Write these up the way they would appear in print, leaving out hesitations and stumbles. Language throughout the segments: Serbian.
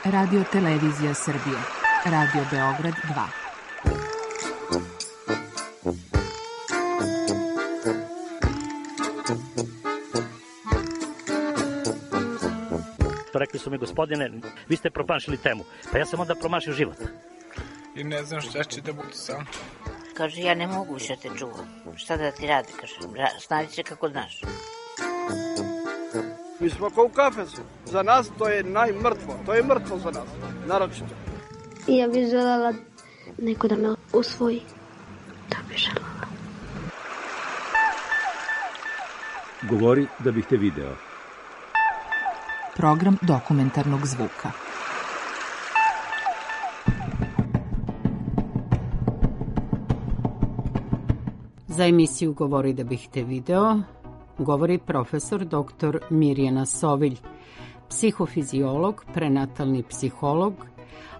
Radio Televizija Srbije. Radio Beograd 2. Rekli su mi, gospodine, vi ste promašili temu. Pa ja sam onda promašio život. I ne znam šta će da bude sam. Kaže, ja ne mogu više te čuvam. Šta da ti radi, kaže, snađi se kako znaš. Mi smo kao u kafesu. Za nas to je najmrtvo. To je mrtvo za nas, naročito. Ja bih želela neko da me usvoji. To bih želela. Govori da bih te video. Program dokumentarnog zvuka. Za emisiju Govori da bih te video govori profesor dr. Mirjana Sovilj, psihofiziolog, prenatalni psiholog,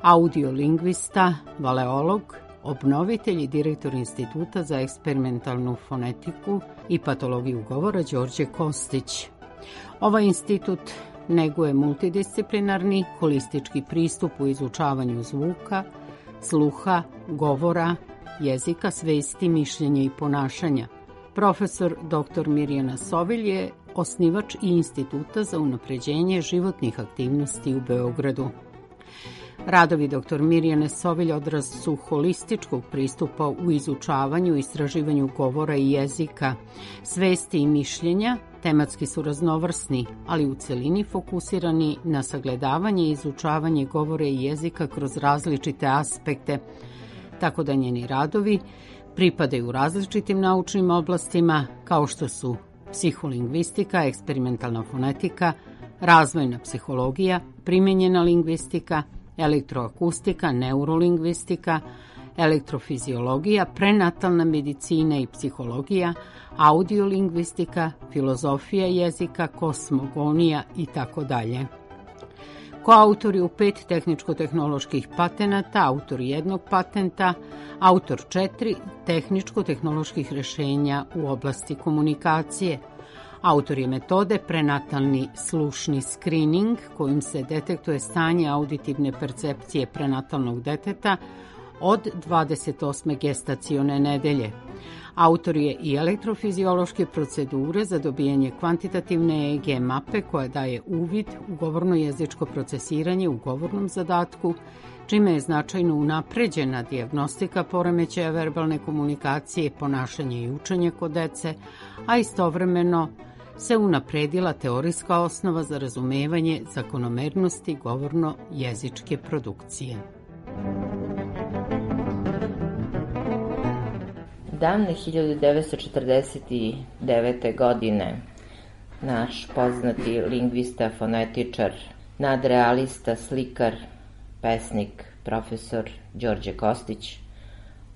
audiolingvista, valeolog, obnovitelj i direktor Instituta za eksperimentalnu fonetiku i patologiju govora Đorđe Kostić. Ovaj institut neguje multidisciplinarni, holistički pristup u izučavanju zvuka, sluha, govora, jezika, svesti, mišljenja i ponašanja. Profesor dr. Mirjana Sovilj je osnivač i Instituta za unapređenje životnih aktivnosti u Beogradu. Radovi dr. Mirjane Sovilj odraz su holističkog pristupa u izučavanju i istraživanju govora i jezika, svesti i mišljenja, tematski su raznovrsni, ali u celini fokusirani na sagledavanje i izučavanje govora i jezika kroz različite aspekte, tako da njeni radovi pripadaju različitim naučnim oblastima kao što su psiholingvistika, eksperimentalna fonetika, razvojna psihologija, primenjena lingvistika, elektroakustika, neurolingvistika, elektrofiziologija, prenatalna medicina i psihologija, audiolingvistika, filozofija jezika, kosmogonija itd. Koautor je u 5 tehničko-tehnoloških patenata, autor 1 patenta, autor 4 tehničko-tehnoloških rešenja u oblasti komunikacije. Autor je metode prenatalni slušni skrining, kojim se detektuje stanje auditivne percepcije prenatalnog deteta od 28. gestacione nedelje. Autor je i elektrofiziološke procedure za dobijanje kvantitativne EEG mape koja daje uvid u govorno-jezičko procesiranje u govornom zadatku, čime je značajno unapređena dijagnostika poremećaja verbalne komunikacije, ponašanja i učenja kod dece, a istovremeno se unapredila teorijska osnova za razumevanje zakonomernosti govorno-jezičke produkcije. Davne 1949. godine naš poznati lingvista, fonetičar, nadrealista, slikar, pesnik, profesor Đorđe Kostić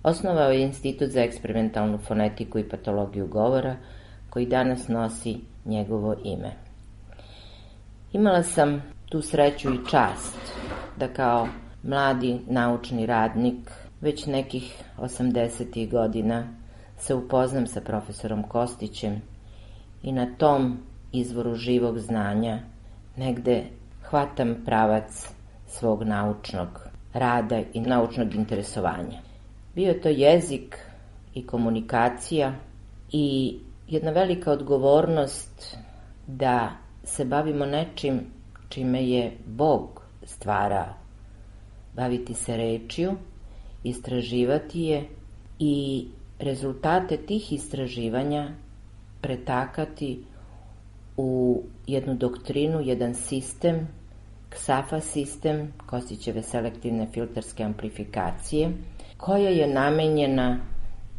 osnovao je Institut za eksperimentalnu fonetiku i patologiju govora, koji danas nosi njegovo ime. Imala sam tu sreću i čast da kao mladi naučni radnik već nekih 80. godina se upoznam sa profesorom Kostićem i na tom izvoru živog znanja negde hvatam pravac svog naučnog rada i naučnog interesovanja. Bio je to jezik i komunikacija i jedna velika odgovornost da se bavimo nečim čime je Bog stvarao. Baviti se rečju, istraživati je i rezultate tih istraživanja pretakati u jednu doktrinu, jedan sistem, KSAFA sistem, Kostićeve selektivne filterske amplifikacije, koja je namenjena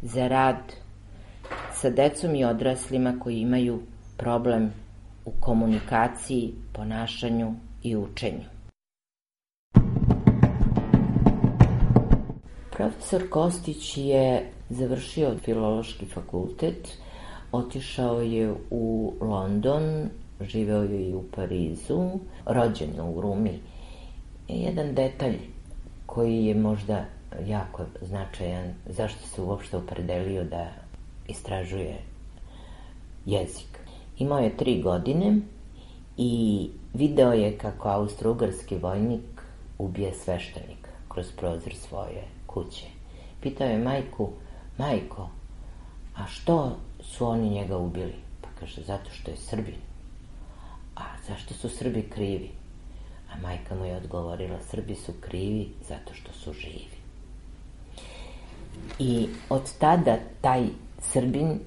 za rad sa decom i odraslima koji imaju problem u komunikaciji, ponašanju i učenju. Profesor Kostić je završio filološki fakultet, otišao je u London, živeo je i u Parizu, rođen je u Rumi. Jedan detalj koji je možda jako značajan, zašto se uopšte opredelio da istražuje jezik. Imao je 3 godine i video je kako austro-ugarski vojnik ubije sveštenika kroz prozor svoje kuće. Pitao je majku: majko, a što su oni njega ubili? Pa kaže: zato što je Srbin. A zašto su Srbi krivi? A majka mu je odgovorila: Srbi su krivi zato što su živi. I od tada taj Srbin,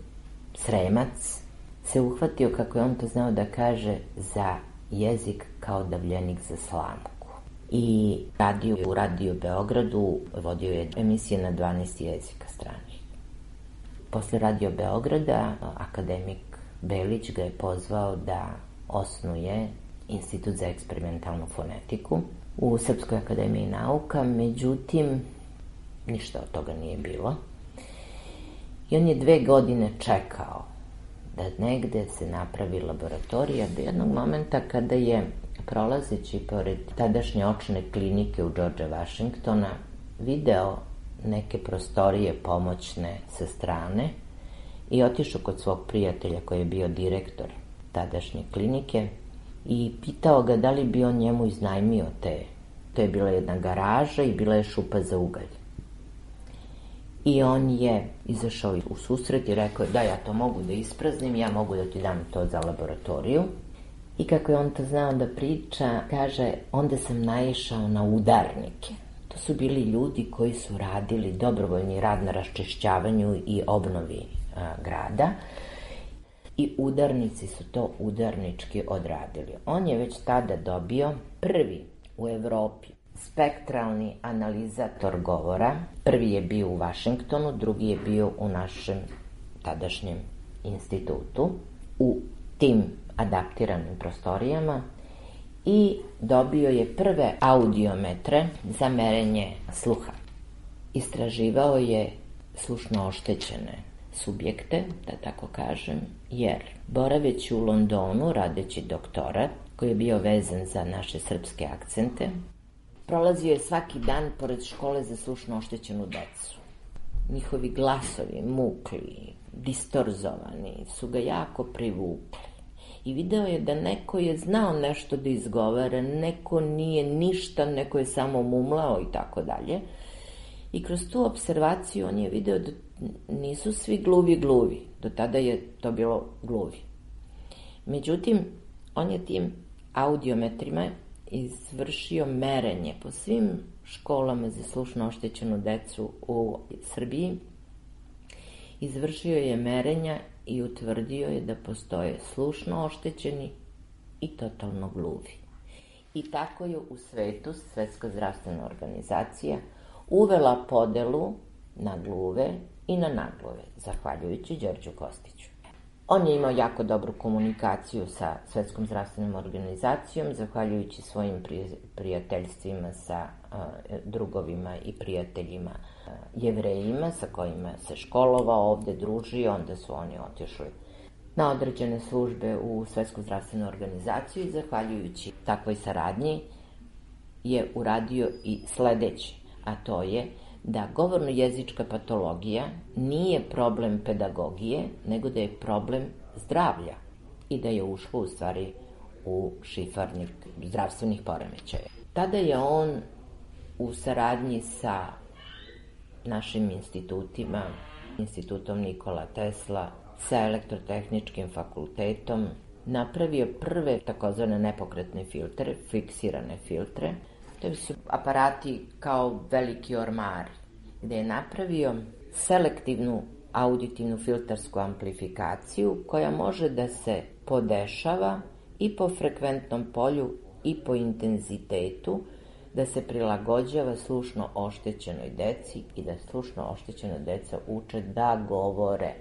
Sremac, se uhvatio, kako je on to znao da kaže, za jezik kao davljenik za slamku. I radio u Radio Beogradu, vodio je emisije na 12 jezika stranih. Posle Radio Beograda, akademik Belić ga je pozvao da osnuje Institut za eksperimentalnu fonetiku u Srpskoj akademiji nauka, međutim, ništa od toga nije bilo. I on je 2 godine čekao da negde se napravi laboratorija, do jednog momenta kada je, prolazeći pored tadašnje očne klinike u George Washingtona, video neke prostorije pomoćne sa strane i otišao kod svog prijatelja koji je bio direktor tadašnje klinike i pitao ga da li bi on njemu iznajmio te. To je bila jedna garaža i bila je šupa za ugalj. I on je izašao u susret i rekao: da, ja to mogu da ispraznim, ja mogu da ti dam to za laboratoriju. I kako je on to znao da priča, kaže: onda sam naišao na udarnike. To su bili ljudi koji su radili dobrovoljni rad na raščišćavanju i obnovi grada. I udarnici su to udarnički odradili. On je već tada dobio prvi u Evropi spektralni analizator govora. Prvi je bio u Vašingtonu, drugi je bio u našem tadašnjem institutu, u tim adaptiranim prostorijama, i dobio je prve audiometre za merenje sluha. Istraživao je slušno oštećene subjekte, da tako kažem, jer boraveći u Londonu, radeći doktorat, koji je bio vezan za naše srpske akcente, prolazio je svaki dan pored škole za slušno oštećenu decu. Njihovi glasovi, mukli, distorzovani, su ga jako privukli. I video je da neko je znao nešto da izgovara, neko nije ništa, neko je samo mumlao i tako dalje. I kroz tu observaciju on je video da nisu svi gluvi. Do tada je to bilo gluvi. Međutim, on je tim audiometrima izvršio merenje po svim školama za slušno oštećenu decu u Srbiji. Izvršio je merenja i utvrdio je da postoje slušno oštećeni i totalno gluvi. I tako je u svetu Svetska zdravstvena organizacija uvela podelu na gluve i na nagluve, zahvaljujući Đorđu Kostiću. On je imao jako dobru komunikaciju sa Svetskom zdravstvenom organizacijom, zahvaljujući svojim prijateljstvima sa drugovima i prijateljima Jevrejima, sa kojima se školovao ovde, družio. Onda su oni otišli na određene službe u Svetsku zdravstvenu organizaciju i zahvaljujući takvoj saradnji je uradio i sledeće, a to je da govorno-jezička patologija nije problem pedagogije, nego da je problem zdravlja i da je ušlo u stvari u šifarnik zdravstvenih poremećaja. Tada je on u saradnji sa našim institutima, Institutom Nikola Tesla, sa Elektrotehničkim fakultetom, napravio prve takozvane nepokretne filtere, fiksirane filtre. To su aparati kao veliki ormari, gde je napravio selektivnu auditivnu filtersku amplifikaciju koja može da se podešava i po frekventnom polju i po intenzitetu, da se prilagođava slušno oštećenoj deci i da slušno oštećena deca uče da govore.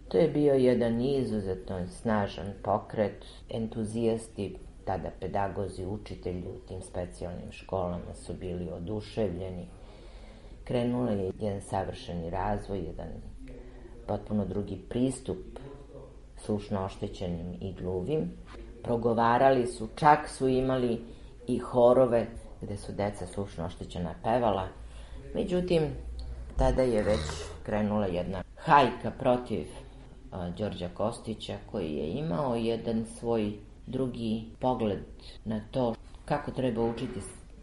To je bio jedan izuzetno snažan pokret. Entuzijasti, tada pedagozi, učitelji u tim specijalnim školama su bili oduševljeni. Krenuo je jedan savršeni razvoj, jedan potpuno drugi pristup slušno oštećenim i gluvim. Progovarali su, čak su imali i horove gde su deca slušno oštećena pevala. Međutim, tada je već krenula jedna hajka protiv Đorđa Kostića, koji je imao jedan svoj drugi pogled na to kako treba učiti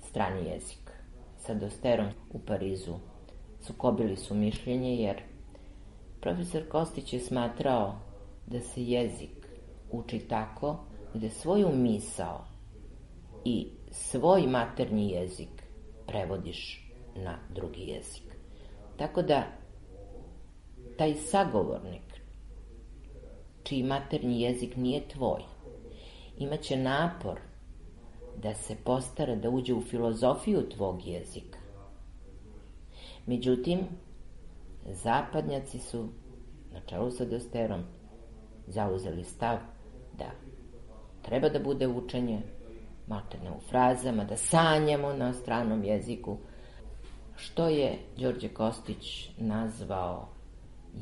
strani jezik. Sa Dosterom u Parizu sukobili su mišljenje, jer profesor Kostić je smatrao da se jezik uči tako gde svoju misao i svoj maternji jezik prevodiš na drugi jezik. Tako da taj sagovornik čiji maternji jezik nije tvoj imaće napor da se postara da uđe u filozofiju tvog jezika. Međutim, zapadnjaci su na čelu sa Dosterom zauzeli stav da treba da bude učenje maltene u frazama, da sanjamo na stranom jeziku, što je Đorđe Kostić nazvao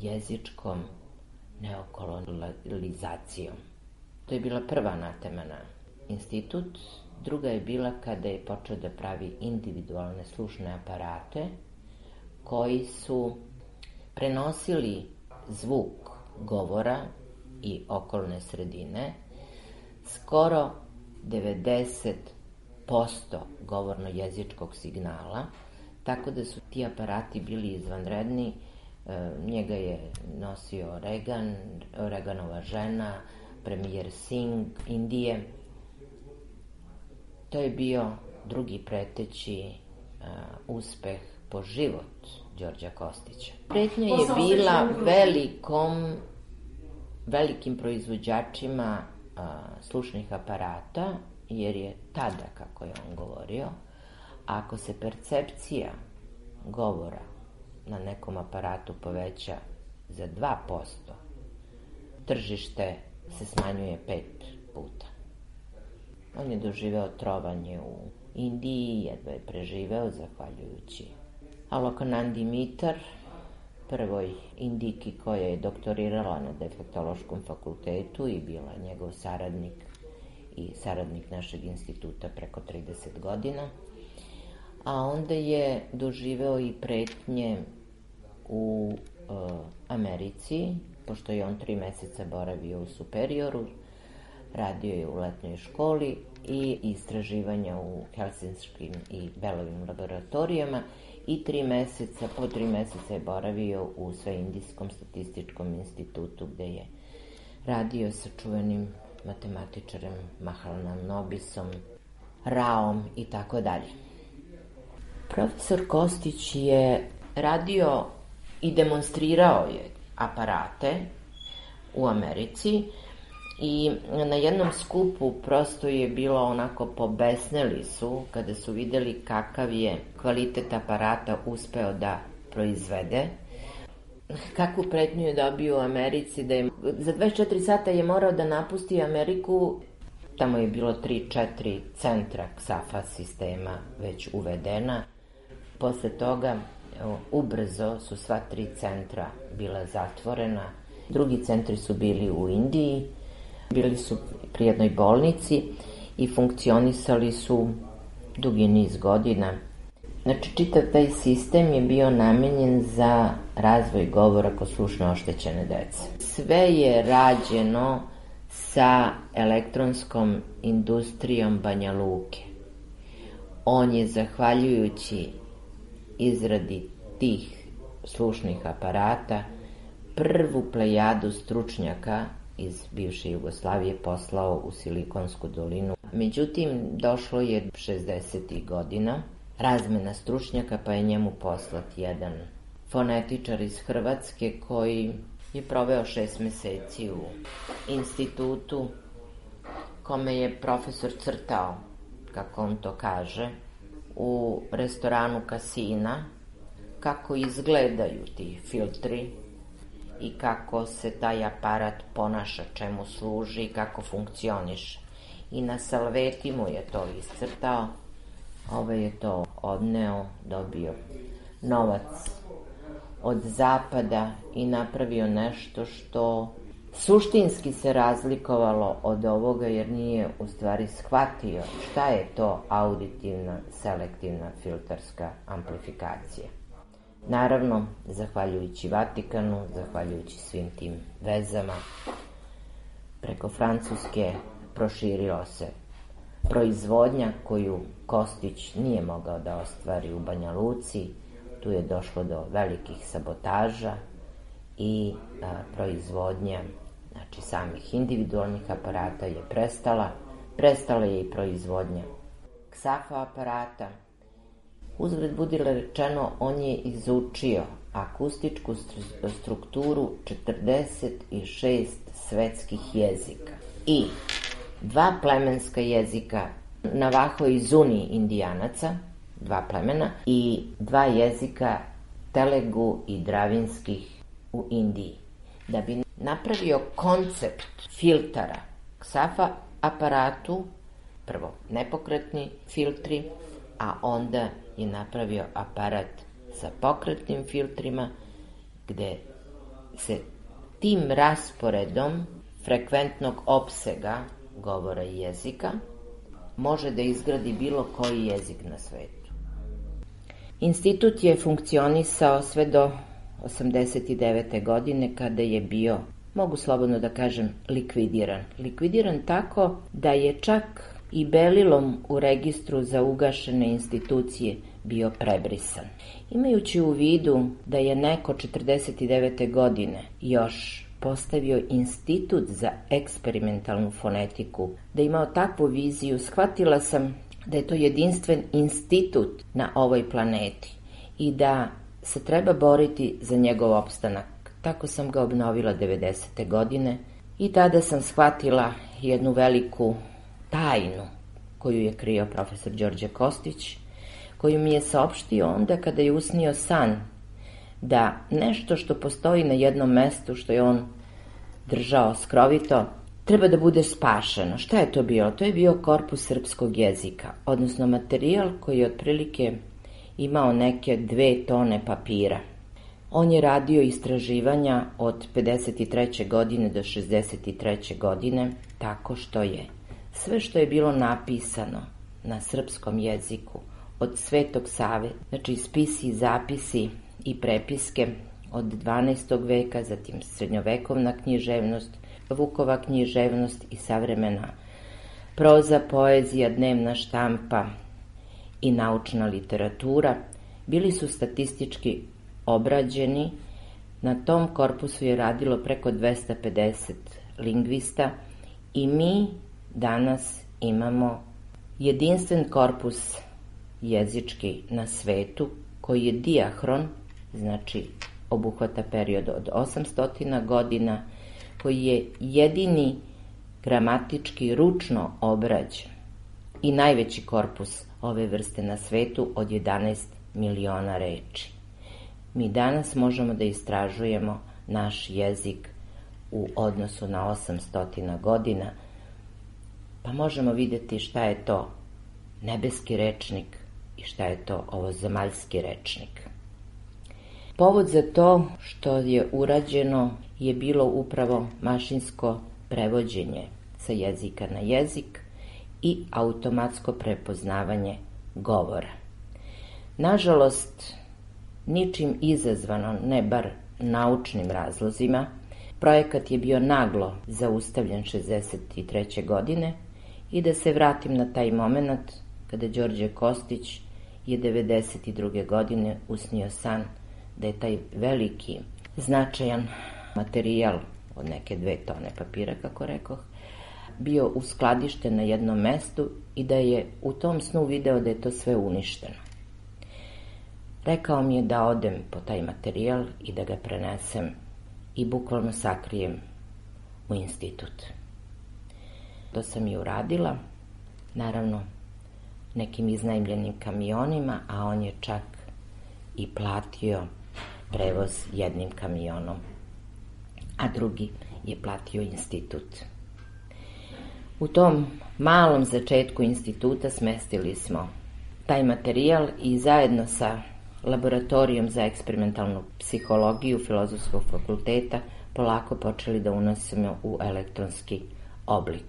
jezičkom neokolonizacijom. To je bila prva anatema na institut. Druga je bila kada je počeo da pravi individualne slušne aparate koji su prenosili zvuk govora i okolne sredine, skoro 90% govorno-jezičkog signala, tako da su ti aparati bili izvanredni. Njega je nosio Reagan, Reaganova žena, premijer Singh Indije. To je bio drugi preteći uspeh po život Đorđa Kostića. Pretnja je bila velikim proizvođačima slušnih aparata, jer je tada, kako je on govorio, ako se percepcija govora na nekom aparatu poveća za 2%, tržište se smanjuje 5 puta. On je doživeo trovanje u Indiji, jedva je preživeo zahvaljujući Alokanandi Mitar, prvoj Indiki koja je doktorirala na defektološkom fakultetu i bila njegov saradnik i saradnik našeg instituta preko 30 godina. A onda je doživeo i pretnje u Americi, pošto je on 3 meseca boravio u Superioru, radio je u letnjoj školi i istraživanja u helsinskim i Belovim laboratorijama i po 3 meseca je boravio u Sveindijskom statističkom institutu, gde je radio sa čuvenim matematičarem Mahalanam Nobisom, Raom i tako dalje. Profesor Kostić je radio i demonstrirao je aparate u Americi i na jednom skupu prosto je bilo onako, pobesneli su kada su videli kakav je kvalitet aparata uspeo da proizvede. Kakvu pretnju je dobio u Americi, da je za 24 sata je morao da napusti Ameriku. Tamo je bilo 3-4 centra XAFA sistema već uvedena. Posle toga ubrzo su sva 3 centra bila zatvorena. Drugi centri su bili u Indiji, bili su pri jednoj bolnici i funkcionisali su dugi niz godina. Znači, čitav taj sistem je bio namenjen za razvoj govora kod slušno oštećene dece. Sve je rađeno sa elektronskom industrijom Banja Luke. On je, zahvaljujući izradi tih slušnih aparata, prvu plejadu stručnjaka iz bivše Jugoslavije poslao u Silikonsku dolinu. Međutim, došlo je 60. godina, razmena stručnjaka, pa je njemu poslat jedan fonetičar iz Hrvatske koji je proveo 6 meseci u institutu, kome je profesor crtao, kako on to kaže, u restoranu kasina, kako izgledaju ti filtri i kako se taj aparat ponaša, čemu služi i kako funkcioniše. I na salveti mu je to iscrtao, je to odneo, dobio novac od zapada i napravio nešto što suštinski se razlikovalo od ovoga, jer nije u stvari shvatio šta je to auditivna selektivna filterska amplifikacija. Naravno, zahvaljujući Vatikanu, zahvaljujući svim tim vezama, preko Francuske proširilo se proizvodnja koju Kostić nije mogao da ostvari u Banja Luci. Tu je došlo do velikih sabotaža i proizvodnja, znači samih individualnih aparata je prestala. Prestala je i proizvodnja ksafa aparata. Uzgred budi rečeno, on je izučio akustičku strukturu 46 svetskih jezika i 2 plemenska jezika Navaho i Zuni indijanaca, 2 plemena, i 2 jezika Telegu i Dravinskih u Indiji. Da bi napravio koncept filtara ksafa aparatu, prvo nepokretni filtri, a onda je napravio aparat sa pokretnim filtrima, gde se tim rasporedom frekventnog opsega govora i jezika može da izgradi bilo koji jezik na svetu. Institut je funkcionisao sve do 89. godine, kada je bio, mogu slobodno da kažem, likvidiran. Likvidiran tako da je čak i belilom u registru za ugašene institucije bio prebrisan. Imajući u vidu da je neko 49. godine još postavio institut za eksperimentalnu fonetiku, da je imao takvu viziju, shvatila sam da je to jedinstven institut na ovoj planeti i da se treba boriti za njegov opstanak. Tako sam ga obnovila 90. godine i tada sam shvatila jednu veliku tajnu koju je krio profesor Đorđe Kostić, koju mi je saopštio onda kada je usnio san da nešto što postoji na jednom mestu, što je on držao skrovito, treba da bude spašeno. Šta je to bilo? To je bio korpus srpskog jezika, odnosno materijal koji je otprilike imao neke 2 tone papira. On je radio istraživanja od 53. godine do 63. godine, tako što je sve što je bilo napisano na srpskom jeziku od Svetog Save, znači spisi, zapisi i prepiske od 12. veka, zatim srednjovekovna književnost, Vukova književnost i savremena proza, poezija, dnevna štampa i naučna literatura, bili su statistički obrađeni. Na tom korpusu je radilo preko 250 lingvista i mi danas imamo jedinstven korpus jezički na svetu koji je dijahron, znači obuhvata period od 800 godina, koji je jedini gramatički ručno obrađen i najveći korpus ove vrste na svetu od 11 miliona reči. Mi danas možemo da istražujemo naš jezik u odnosu na 800 godina, pa možemo vidjeti šta je to nebeski rečnik i šta je to ovozemaljski rečnik. Povod za to što je urađeno je bilo upravo mašinsko prevođenje sa jezika na jezik i automatsko prepoznavanje govora. Nažalost, ničim izazvano, ne bar naučnim razlozima, projekat je bio naglo zaustavljen 63. godine i da se vratim na taj moment kada Đorđe Kostić je 92. godine usnio san da je taj veliki, značajan materijal od neke 2 tone papira, kako rekoh, bio uskladišten na jednom mestu i da je u tom snu video da je to sve uništeno. Rekao mi je da odem po taj materijal i da ga prenesem i bukvalno sakrijem u institut. To sam i uradila, naravno nekim iznajmljenim kamionima, a on je čak i platio prevoz jednim kamionom, a drugi je platio institut. U tom malom začetku instituta smestili smo taj materijal i zajedno sa laboratorijom za eksperimentalnu psihologiju Filozofskog fakulteta polako počeli da unosimo u elektronski oblik.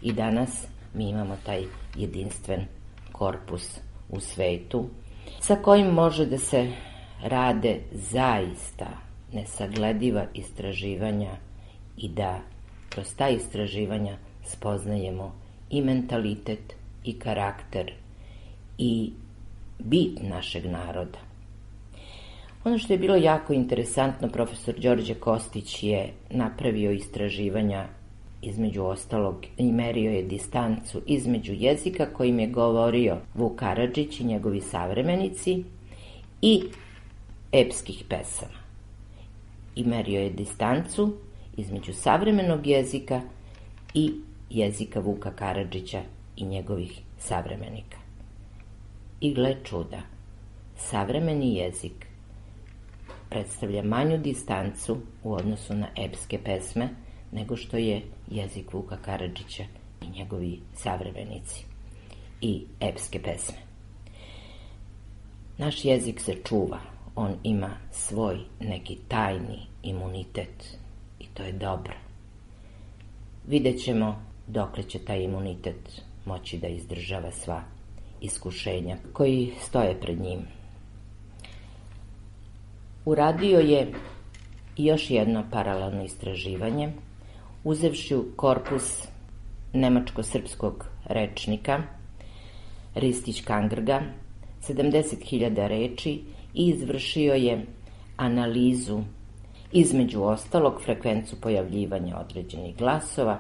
I danas mi imamo taj jedinstven korpus u svetu sa kojim može da se rade zaista nesaglediva istraživanja i da kroz ta istraživanja spoznajemo i mentalitet i karakter i bit našeg naroda. Ono što je bilo jako interesantno, profesor Đorđe Kostić je napravio istraživanja, između ostalog, i merio je distancu između jezika kojim je govorio Vuk Karadžić i njegovi savremenici i epskih pesama. I merio je distancu između savremenog jezika i jezika Vuka Karadžića i njegovih savremenika. I gle čuda, savremeni jezik predstavlja manju distancu u odnosu na epske pesme nego što je jezik Vuka Karadžića i njegovi savremenici i epske pesme. Naš jezik se čuva, on ima svoj neki tajni imunitet i to je dobro. Vidjet ćemo dokle će taj imunitet moći da izdržava sva iskušenja koji stoje pred njim. Uradio je još jedno paralelno istraživanje, uzevši korpus nemačko-srpskog rečnika Ristić-Kangrga, 70.000 reči, i izvršio je analizu, između ostalog, frekvencu pojavljivanja određenih glasova.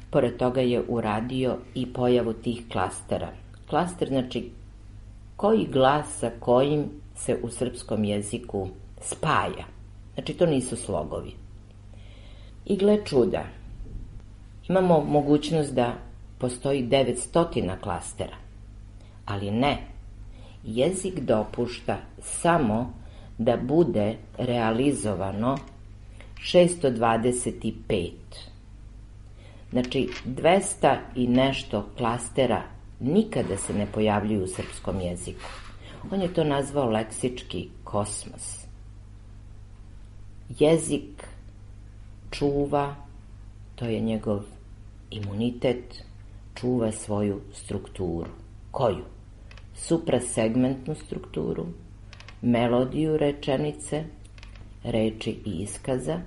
Pored toga je uradio i pojavu tih klastera. Klaster znači koji glas sa kojim se u srpskom jeziku spaja. Znači to nisu slogovi. I gle čuda, imamo mogućnost da postoji 900 klastera, ali ne, jezik dopušta samo da bude realizovano 625. Znači 200 i nešto klastera nikada se ne pojavljuju u srpskom jeziku. On je to nazvao leksički kosmos. Jezik čuva, to je njegov imunitet, čuva svoju strukturu. Koju? Suprasegmentnu strukturu, melodiju rečenice, reči i iskaza,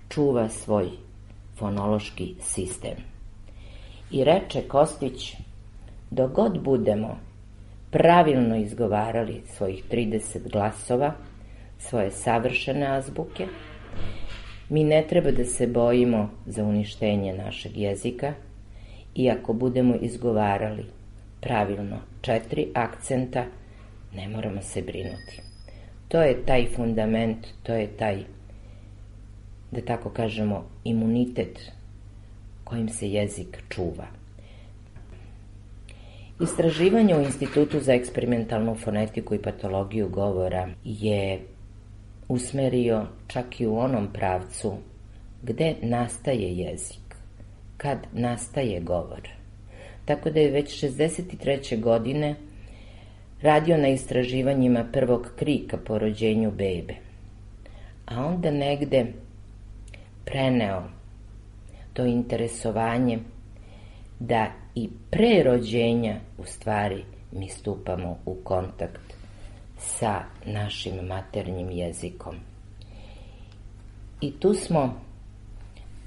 čuva svoj fonološki sistem. I reče Kostić, dok god budemo pravilno izgovarali svojih 30 glasova, svoje savršene azbuke, mi ne treba da se bojimo za uništenje našeg jezika, i ako budemo izgovarali pravilno 4 akcenta, ne moramo se brinuti. To je taj fundament, to je taj, da tako kažemo, imunitet kojim se jezik čuva. Istraživanje u Institutu za eksperimentalnu fonetiku i patologiju govora je usmerio čak i u onom pravcu gde nastaje jezik, kad nastaje govor. Tako da je već 63. godine radio na istraživanjima prvog krika po rođenju bebe, a onda negde preneo to interesovanje da i pre rođenja u stvari mi stupamo u kontakt sa našim maternjim jezikom. I tu smo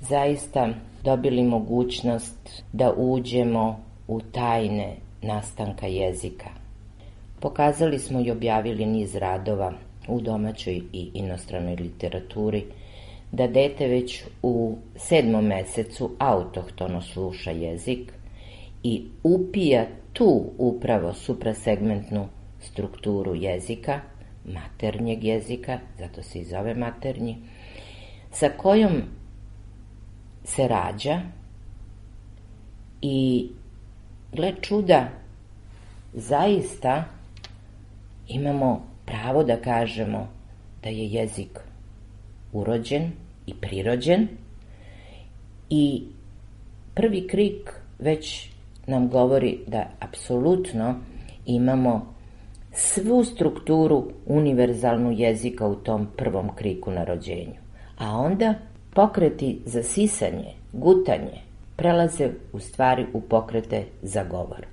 zaista dobili mogućnost da uđemo u tajne nastanka jezika. Pokazali smo i objavili niz radova u domaćoj i inostranoj literaturi, da dete već u 7. mesecu autohtono sluša jezik i upija tu upravo suprasegmentnu strukturu jezika, maternjeg jezika, zato se i zove maternji, sa kojom se rađa i, gle čuda, zaista imamo pravo da kažemo da je jezik urođen i prirođen, i prvi krik već nam govori da apsolutno imamo svu strukturu univerzalnu jezika u tom prvom kriku na rođenju. A onda pokreti za sisanje, gutanje, prelaze u stvari u pokrete za govor.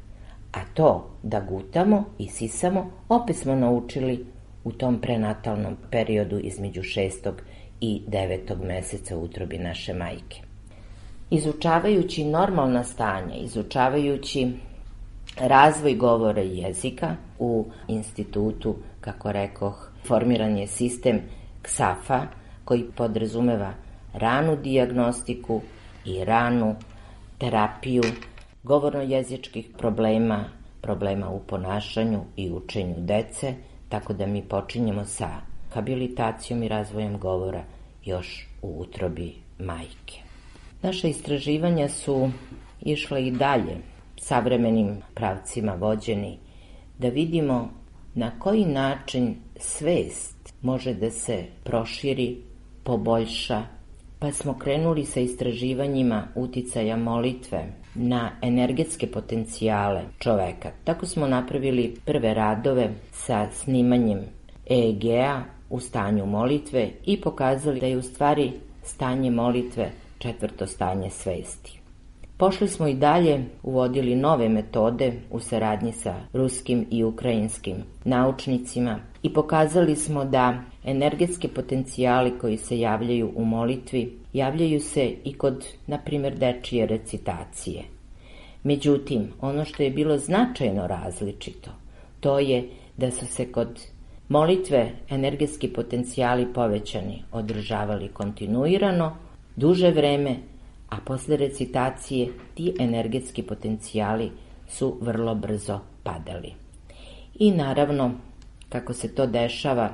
A to da gutamo i sisamo opet smo naučili u tom prenatalnom periodu između 6. i 9. meseca u utrobi naše majke. Izučavajući normalna stanja, izučavajući razvoj govora i jezika. U institutu, kako rekoh, formiran je sistem KSAF-a koji podrazumeva ranu dijagnostiku i ranu terapiju govorno-jezičkih problema u ponašanju i učenju dece, tako da mi počinjemo sa habilitacijom i razvojem govora još u utrobi majke. Naša istraživanja su išla i dalje, savremenim pravcima vođeni, da vidimo na koji način svest može da se proširi, poboljša, pa smo krenuli sa istraživanjima uticaja molitve na energetske potencijale čoveka. Tako smo napravili prve radove sa snimanjem EEG-a u stanju molitve i pokazali da je u stvari stanje molitve 4. stanje svesti. Pošli smo i dalje, uvodili nove metode u saradnji sa ruskim i ukrajinskim naučnicima i pokazali smo da energetski potencijali koji se javljaju u molitvi javljaju se i kod, na primjer, dečije recitacije. Međutim, ono što je bilo značajno različito, to je da su se kod molitve energetski potencijali povećani održavali kontinuirano, duže vreme, a posle recitacije ti energetski potencijali su vrlo brzo padali. I naravno, kako se to dešava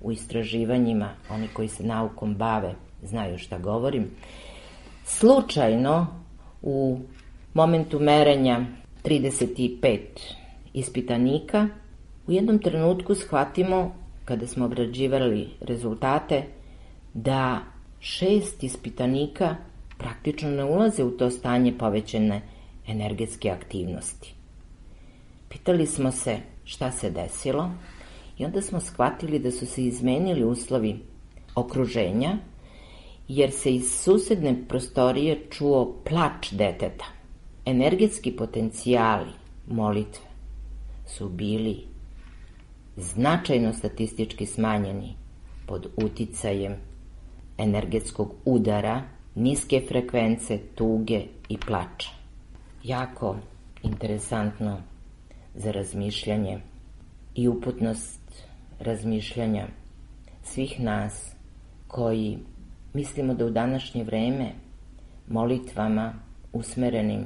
u istraživanjima, oni koji se naukom bave znaju šta govorim, slučajno u momentu merenja 35 ispitanika u jednom trenutku shvatimo, kada smo obrađivali rezultate, da 6 ispitanika praktično ne ulaze u to stanje povećane energetske aktivnosti. Pitali smo se šta se desilo i onda smo shvatili da su se izmenili uslovi okruženja, jer se iz susedne prostorije čuo plač deteta. Energetski potencijali molitve su bili značajno statistički smanjeni pod uticajem energetskog udara, niske frekvence, tuge i plača. Jako interesantno za razmišljanje i uputnost razmišljanja svih nas koji mislimo da u današnje vreme molitvama usmerenim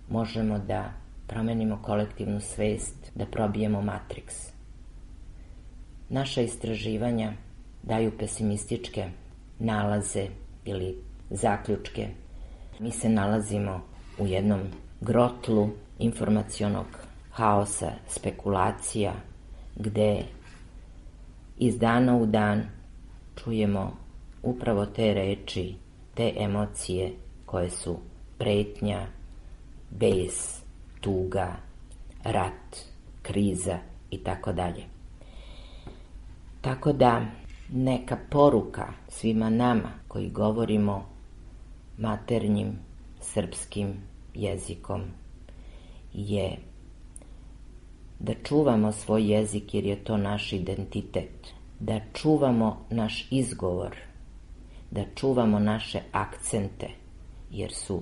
možemo da promenimo kolektivnu svest, da probijemo matriks. Naša istraživanja daju pesimističke nalaze ili zaključke. Mi se nalazimo u jednom grotlu informacionog haosa, spekulacija, gde iz dana u dan čujemo upravo te reči, te emocije koje su pretnja, bes, tuga, rat, kriza i tako dalje. Tako da neka poruka svima nama koji govorimo maternjim srpskim jezikom je da čuvamo svoj jezik jer je to naš identitet, da čuvamo naš izgovor, da čuvamo naše akcente jer su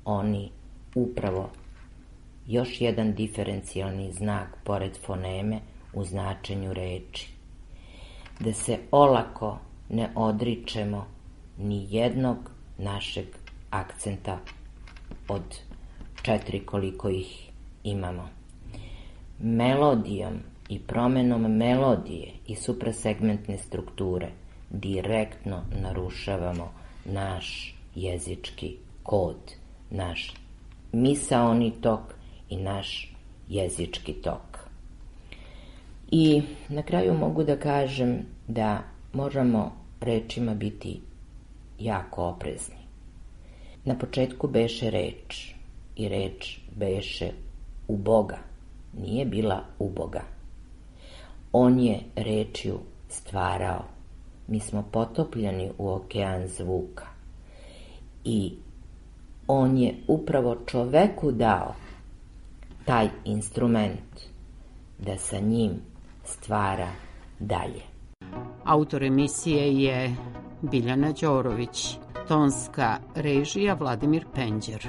oni upravo još jedan diferencijalni znak pored foneme u značenju reči. Da se olako ne odričemo ni jednog našeg akcenta od 4 koliko ih imamo. Melodijom i promenom melodije i suprasegmentne strukture direktno narušavamo naš jezički kod, naš misaoni tok i naš jezički tok. I na kraju mogu da kažem da moramo rečima biti jako oprezni. Na početku beše reč i reč beše u Boga, nije bila u Boga. On je rečju stvarao. Mi smo potopljeni u okean zvuka i on je upravo čoveku dao taj instrument da sa njim stvara dalje. Autor emisije je Biljana Đorović, tonska režija Vladimir Penđer.